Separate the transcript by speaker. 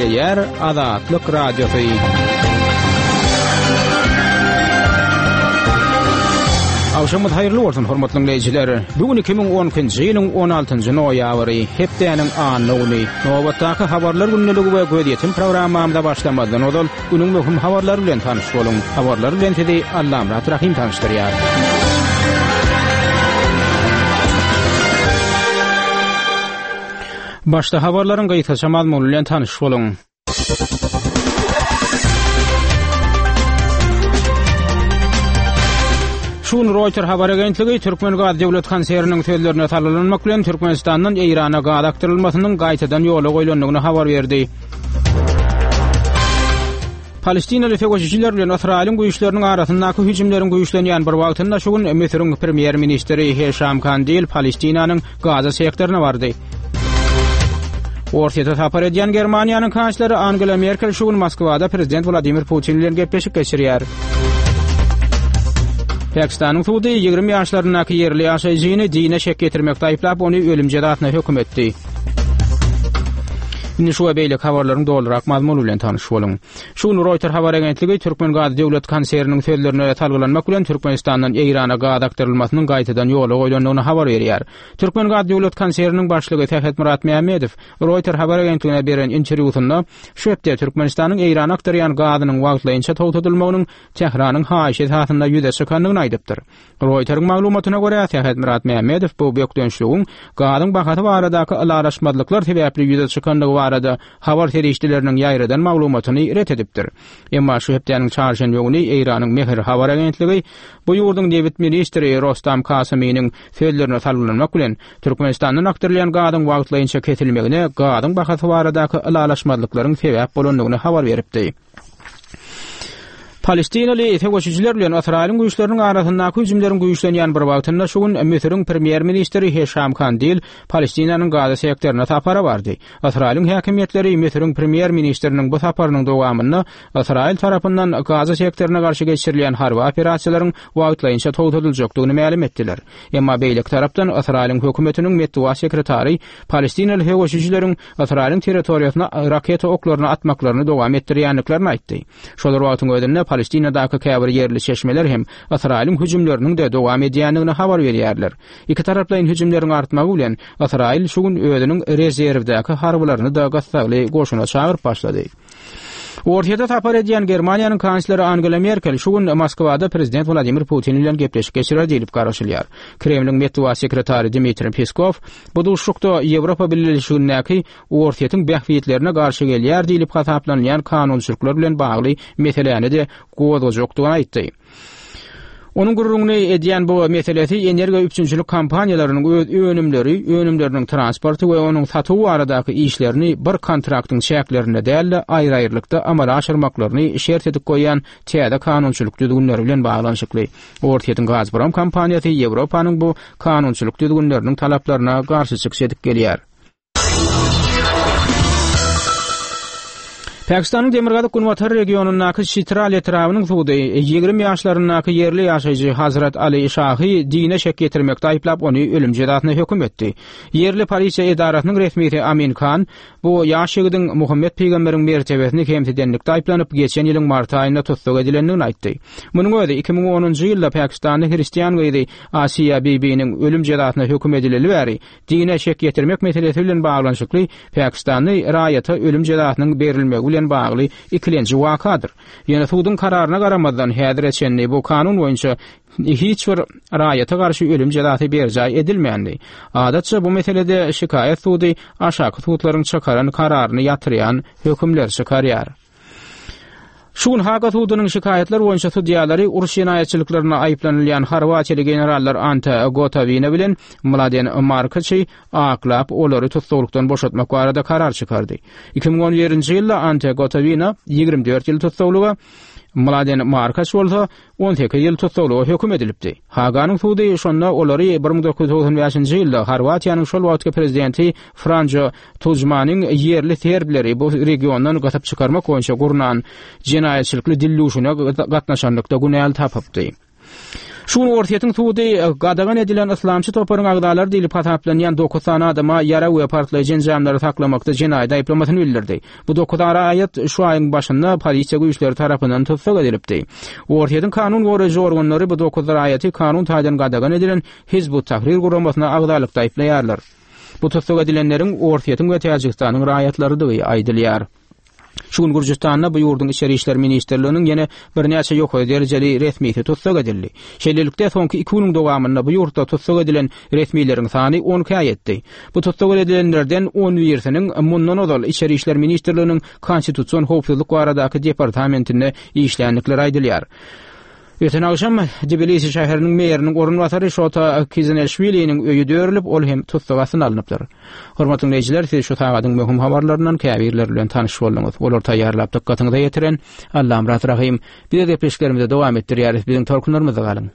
Speaker 1: Gepleýär Azatlyk Radiosy. Agşamyňyz haýyrly bolsun, hormatly diňleýjiler. Bu gün 2012-nji ýylyň 16-njy noýabry, hepdäniň anna güni. Nobatdaky habarlar gündeligi we gözýetim programmamyza başlamazdan ozal, günüň möhüm habarlary bilen tanyş boluň. Habarlar bilen sizi Allamyrat Rahym tanyşdyrýar. Başda habarlaryň gysgaça mazmuny bilen tanyş boluň. Şu gün Reuters habar agentligi Türkmengaz döwlet konserniniň sözlerine salgylanmak bilen Türkmenistandan Eýrana gaz akdyrylmasynyň gaýtadan ýola goýlandygyny habar berdi. Palestinaly söweşijiler bilen Ysraýylyň güýçleriniň arasyndaky hüjümleriň güýçlenýän bir wagtynda şu gün Müsüriň premýer-ministri Heşam Kandil Palestinanyň Gaza sektoryna bardy. Orsýete sapar edýän Germaniýanyň kansleri Angela Merkel şu gün Moskwada prezident Wladimir Putin bilen gepleşik geçirýär. Pakistanyň sudy 20 ýaşlaryndaky ýerli ýaşaýjyny dine şek ýetirmekde aýyplap, ony ölüm jezasyna höküm etdi. Indi şu we beýleki habarlaryň dolurak mazmuny bilen tanyş boluň. Şu gün Reuters habar agentligi Türkmengaz döwlet konserniniň sözlerine salgylanmak bilen Türkmenistandan Eýrana gaz akdyrylmasynyň gaýtadan ýola goýlandygyny habar berýär. Türkmengaz döwlet konserniniň başlygy Sähetmyrat Mämmedow Reuters habar agentligine beren interwýusynda şu hepde Türkmenistanyň Eýrana akdyrýan gazynyň wagtlaýynça togtadylmagynyň Tähranyň haýyşy esasynda ýüze çykandygyny aýdypdyr. Reuters-iň maglumatyna görä, Sähetmyrat Mämmedow bu bökdençligiň gazyň bahasy baradaky ylalaşmazlyklar sebäpli ýüze çykandygy barada habar serişdeleriniň ýaýradan maglumatyny ret edipdir. Emma şu hepdäniň çarşenbe güni Eýranyň Mehr habar agentligi bu ýurduň nebit ministri Rostam Kasymynyň sözlerine salgylanmak bilen, Türkmenistandan akdyrylýan gazyň wagtlaýynça kesilmegine gazyň bahasy baradaky ylalaşmazlyklaryň sebäp bolandygyny habar beripdi. Palestinaly söweşijiler bilen Ysraýylyň güýçleriniň arasyndaky hüjümleriň güýçlenýän bir wagtynda şu gün Müsüriň premýer-ministri Heşam Kandil Palestinanyň Gaza sektoryna sapara bardy. Ysraýylyň häkimiýetleri Müsüriň premýer-ministriniň bu saparynyň dowamynda Ysraýyl tarapyndan Gaza sektoryna garşy geçirilýän harby operasiýalaryň wagtlaýynça togtadyljakdygyny mälim etdiler. Emma beýleki tarapdan Ysraýylyň hökümetiniň metbugat sekretary palestinaly söweşijileriň Ysraýylyň territoriýasyna raketa oklaryny atmaklaryny dowam etdirýändiklerini aýtdy. Şol bir wagtyň özünde Palestinadaky käbir ýerli çeşmeler hem Ysraýylyň hüjümleriniň-de dowam edýändigini habar berýärler. Ikitaraplaýyn hüjümleriň artmagy bilen, Ysraýyl şu gün özüniň rezerwdäki harbylaryny-da gyssagly goşuna çagyryp başlady. Orsýete sapar edýän Germaniýanyň kansleri Angela Merkel şu gün Moskwada prezident Wladimir Putin bilen gepleşik geçirer diýlip garaşylýar. Kremliň metbugat sekretary Dmitriý Peskow bu duşuşykda Ýewropa Bileleşigindäki Orsýetiň bähbitlerine garşy gelýär diýlip hasaplanylýan kanunçylyklar bilen bagly meseläni-de gozgajakdygyny aýtdy. Onuň gürrüňini edýän bu meselesi energiýa üpjünçilik kompaniýalarynyň öz önümleri, önümleriniň transporty we onuň satuwy baradaky işlerini bir kontraktyň çäklerinde däl-de, aýry-aýrylykda amala aşyrmaklaryny şert edip goýýan täze kanunçylyk düzgünleri bilen baglanyşykly. Orsýetiň Gazprom kompaniýasy Ýewropanyň bu kanunçylyk düzgünleriniň talaplaryna garşy çykyş edip gelýär. Pakistanyň demirgazyk-günbatar regionyndaky Çitral etrabynyň sudy 20 ýaşlaryndaky ýerli ýaşaýjy Hazrat Ali Şahy dine şek ýetirmekde aýyplap, ony ölüm jezasyna höküm etdi. Ýerli polisiýa edarasynyň resmisi Amin Khan bu ýaş ýigidiň Muhammet pygamberiň mertebesini kemsidenlikde aýyplanyp, geçen ýylyň mart aýynda tussag edilendigini aýtdy. Munuň özi 2010-njy ýylda pakistanly hristian gyzy Asiýa Bibiniň ölüm jezasyna höküm edileli bäri Dine şek ýetirmek meselesi bilen baglanyşykly pakistanly raýata ölüm jezasynyň berilmegi bilen bagly ikilenji wakadyr. Ýöne suduň kararyna garamazdan häzire çenli bu kanun boýunça hiç bir raýata garşy ölüm jezasy berjaý edilmändi. Adatça bu meselede şikaýat sudy aşaky sudlaryň çykaran kararyny ýatyrýan hökümleri çykarýar. Şu gün Haga sudunyň şikaýatlar boýunça sudýalary uruş jenaýatçylyklarynda aýyplanylýan horwatiýaly generallar Ante Gotowina bilen Mladen Markiçi aklap, olary tussaglykdan boşatmak barada karar çykardy. 2011-nji ýylda Ante Gotowina 24 ýyl tussaglyga, Mladen Markaç bolsa 18 ýyl tussaglyga höküm edilipdi. Haganyň sudy şonda olary 1995-nji ýylda Horwatiýanyň şol wagtky prezidenti Franjo Tujmanyň ýerli serbleri bu regiondan gysyp çykarmak boýunça gurnan jenaýatçylykly dilluşyna gatnaşanlykda günäli tapypdy. Şu gün Orsýetiň sudy gadagan edilen yslamçy toparyň agzalary diýlip hasaplanýan dokuz sany adama ýarag we partlaýjy enjamlary saklamakda jenaýat aýyplamasyny bildirdi. Bu dokuz raýat şu aýyň başynda polisiýa güýçleri tarapyndan tussag edilipdi. Orsýetiň kanun goraýjy organlary bu dokuz raýaty kanun taýdan gadagan edilen Hizb ut-Tahrir guramasyna agzalykda aýyplaýarlar. Bu tussag edilenleriň Orsýetiň we Täjigistanyň raýatlarydygy aýdylýar. Şu gün Gürjüstanda bu ýurduň Içeri işler ministrliginiň ýene birnäçe ýokary derejeli resmisi tussag edildi. Şeýlelikde, soňky iki günüň dowamynda bu ýurtda tussag edilen resmileriň sany on ikä ýetdi. Bu tussag edilenlerden on birisiniň mundan ozal Içeri işler ministrliginiň Konstitusion howpsuzlyk baradaky departamentinde işländikleri aýdylýar. Öten agşam Tbilisi şäheriniň meriniň orunbasary Şota Kizinelşwiliniň öýi dörülip, ol hem tussag astyna alnypdyr. Hormatly diňleýjiler, siz şu sagadyň möhüm habarlaryndan käbirleri bilen tanyş bolduňyz. Olary taýýarlap dykgatyňyza ýetiren Allamyrat Rahym. Biz gepleşiklerimizi dowam etdirýäris. Biziň tolkunlarymyzda galyň.